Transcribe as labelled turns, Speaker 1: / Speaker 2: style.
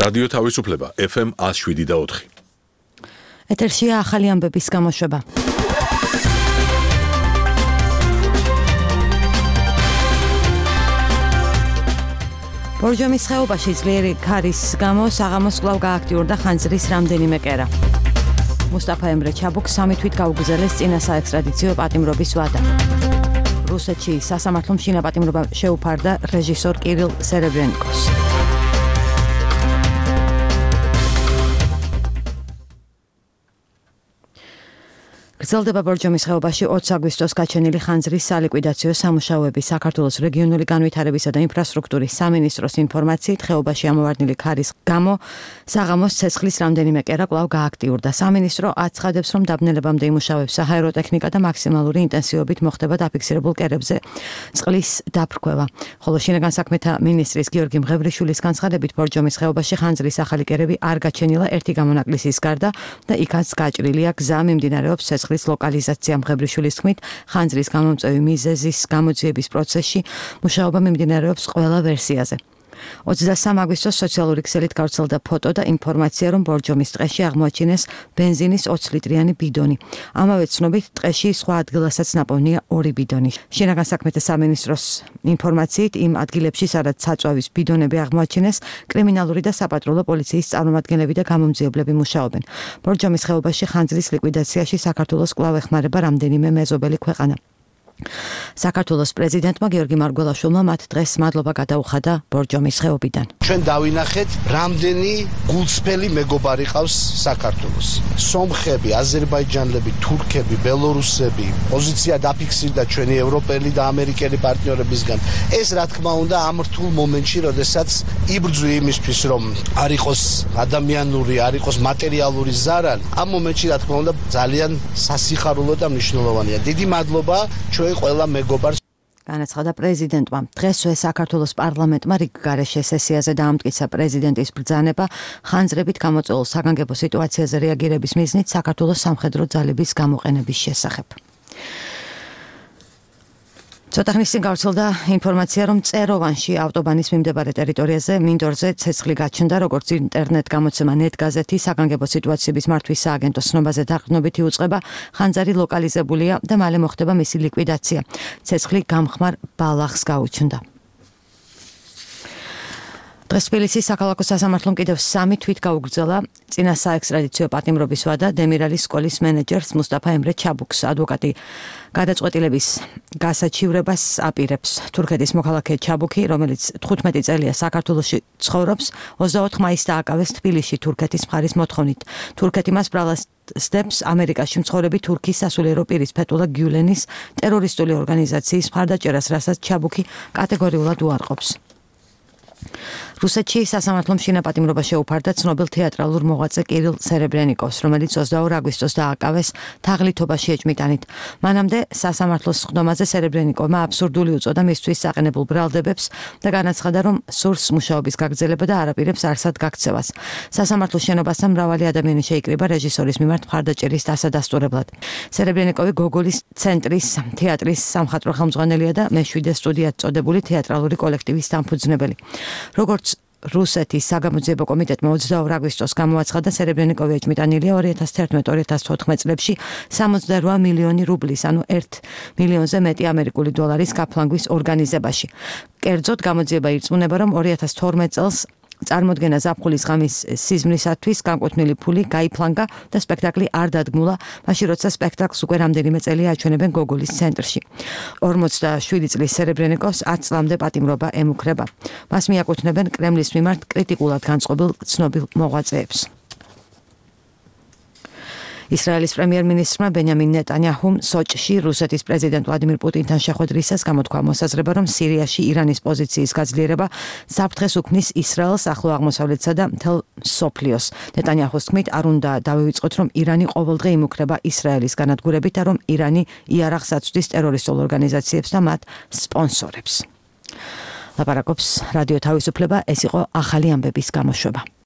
Speaker 1: რადიო თავისუფლება FM 107.4.
Speaker 2: ეთერშია ახალი ამბების გამოშვება. ბორჯომის ხეობაში ძლიერი ქარის გამო საღამოს კვლავ გააქტიურდა ხანძრის რამდენიმე კერა. მუსტაფა ემრე ჩაბუქს 3 თვით გაუგზავნეს წინა საექსტრადიციო პატიმრობის ვადა. რუსეთში სასამართლომ შინა პატიმრობა შეუფარდა რეჟისორ კირილ სერებრენიკოს. გრძელდება ბორჯომის ხეობაში 20 აგვისტოს გაჩენილი ხანძრის სალიკვიდაციო სამუშაოები. საქართველოს რეგიონული განვითარებისა და ინფრასტრუქტურის სამინისტროს ინფორმაციით, ხეობაში ამოვარდნილი ქარის გამო საღამოს ცეცხლის რამდენიმე კერა კვლავ გააქტიურდა. სამინისტრო აცხადებს, რომ დაბნელებამდე იმუშავებს საჰაერო ტექნიკა და მაქსიმალური ინტენსივობით მოხდება დაფიქსირებულ კერებზე წყლის დაფრქვევა. ხოლო შინაგან საქმეთა მინისტრის გიორგი მღევრიშვილის განცხადებით, ბორჯომის ხეობაში ხანძრის ახალი კერები არ გაჩენილა ერთი გამონაკლისის გარდა და იქაც გაჭრილია გზა მიმდინარეობს ცეცხლის ლოკალიზაცია. მღევრიშვილის თქმით, ხანძრის გამომწვევი მიზეზის გამოძიების პროცესში მუშაობა მიმდინარეობს ყველა ვერსიაზე. 23 აგვისტოს სოციალური ქსელით გავრცელდა ფოტო და ინფორმაცია, რომ ბორჯომის ტყეში აღმოაჩინეს ბენზინის 20 ლიტრიანი ბიდონი. ამავე ცნობით, ტყეში სხვა ადგილასაც ნაპოვნია 2 ბიდონი. შინაგან საქმეთა სამინისტროს ინფორმაციით, იმ ადგილებში, სადაც საწვავის ბიდონები აღმოაჩინეს, კრიმინალური და საპატრულო პოლიციის წარმომადგენლები და გამომძიებლები მუშაობენ. ბორჯომის ხეობაში ხანძრის ლიკვიდაციაში საქართველოს კვლავ ეხმარება რამდენიმე მეზობელი ქვეყანა. საქართველოს პრეზიდენტმა გიორგი მარგველაშვილმა მათ დღეს მადლობა გადაუხადა ბორჯომის ხეობიდან.
Speaker 3: ჩვენ დავინახეთ, რამდენი გულწრფელი მეგობარი ყავს საქართველოს. სომხები, აზერბაიჯანელები, თურქები, ბელორუსები, პოზიცია დაფიქსირდა ჩვენი ევროპელი და ამერიკელი პარტნიორებისგან. ეს რა თქმა უნდა ამ რთულ მომენტში, როდესაც იბრძვი იმისთვის, რომ არ იყოს ადამიანური, არ იყოს მატერიალური ზარალი, ამ მომენტში რა თქმა უნდა ძალიან სასიხარულო და მნიშვნელოვანია. დიდი მადლობა ჩვენ ყველა მეგობარს.
Speaker 2: განაცხადა პრეზიდენტმა. დღესვე საქართველოს პარლამენტმა რიგ გარეშე სესიაზე დაამტკიცა პრეზიდენტის ბრძანება ხანძრებით გამოწვეულ საგანგებო სიტუაციაზე რეაგირების მიზნით საქართველოს სამხედრო ძალების გამოყენების შესახებ. ცოტა ხნის წინ გავრცელდა ინფორმაცია, რომ წეროვანში ავტობანის მიმდებარე ტერიტორიაზე მინდორზე ცეცხლი გაჩნდა, როგორც ინტერნეტ გამოცემა net გაზეთი საგანგებო სიტუაციების მართვის სააგენტო ცნობაზე დაყრდნობითი უწყება, ხანძარი ლოკალიზებულია და მალე მოხდება მისი ლიკვიდაცია. ცეცხლი გამხმარ ბალახს გაუჩნდა. დღეს თბილისის საქალაქო სასამართლომ კიდევ 3 თვით გაუგრძელა წინა საექსტრადიციო პატიმრობის ვადა დემირალის სკოლის მენეჯერს მუსტაფა ემრე ჩაბუქს. ადვოკატი გადაწყვეტილების გასაჩივრებას აპირებს. თურქეთის მოქალაქე ჩაბუქი, რომელიც 15 წელია საქართველოში ცხოვრობს, 24 მაისს დააკავეს თბილისში თურქეთის მხარის მოთხოვნით. თურქეთი მას ბრალასდებს ამერიკაში მცხოვრები თურქის სასულიერო პირის ფეთულა გიულენის ტერორისტული ორგანიზაციის მხარდაჭერას, რასაც ჩაბუქი კატეგორიულად უარყოფს. რუსეთში სასამართლომ შინა პატიმრობა შეუფარდა ცნობილ თეატრალურ მოღვაწე კირილ სერებრენიკოს, რომელიც 22 აგვისტოს დააკავეს თაღლითობაში ეჭმიტანით. მანამდე სასამართლოს სხდომაზე სერებრენიკოვმა აბსურდული უწოდა მისთვის საყენებულ ბრალდებებს და განაცხადა, რომ სურს მუშაობის გაგრძელება და არაპირებს არსად გაქცევას. სასამართლოს შენობასთან მრავალი ადამიანი შეიკრიბა რეჟისორის მიმართ მხარდაჭერის დასადასტურებლად. სერებრენიკოვი გოგოლის ცენტრის თეატრის სამხატვრო ხელმძღვანელია და მე-7 სტუდიად წოდებული თეატრალური კოლექტივის დამფუძნებელი. როგორც რუსეთის საგამოძიებო კომიტეტმა 22 აგვისტოს გამოაცხადა, სერებრენიკოვი ეჭმიტანილია 2011-2014 წლებში 68 მილიონი რუბლის, ანუ 1 მილიონზე მეტი ამერიკული დოლარის გაფლანგვის ორგანიზებაში. კერძოდ გამოძიება ირწმუნება, რომ 2012 წელს წარმოდგენა ზაფხულის ღამის სიზმრისათვის განკუთვნილი ფული გაიფლანგა და სპექტაკლი არ დადგმულა, მაშინ როცა სპექტაკლს უკვე რამდენიმე წელია აჩვენებენ გოგოლის ცენტრში. 47 წლის სერებრენიკოს 10 წლამდე პატიმრობა ემუქრება. მას მიაკუთვნებენ კრემლის მიმართ კრიტიკულად განწყობილ ცნობილ მოღვაწეებს. ისრაელის პრემიერ-მინისტრმა ბენიამინ ნეტანიაჰუმ სოჭში რუსეთის პრეზიდენტ ვლადიმირ პუტინთან შეხვედრისას გამოთქვა მოსაზრება, რომ სირიაში ირანის პოზიციის გაძლიერება საფრთხეს უქმნის ისრაელს, ახლო აღმოსავლეთსა და მთელ მსოფლიოს. ნეტანიაჰუს თქმით, არ უნდა დავივიწყოთ, რომ ირანი ყოველდღე იმუქრება ისრაელის განადგურებით და რომ ირანი იარაღს აწვდის ტერორისტულ ორგანიზაციებს და მათ სპონსორებს. ლაპარაკობს რადიო თავისუფლება, ეს იყო ახალი ამბების გამოშვება.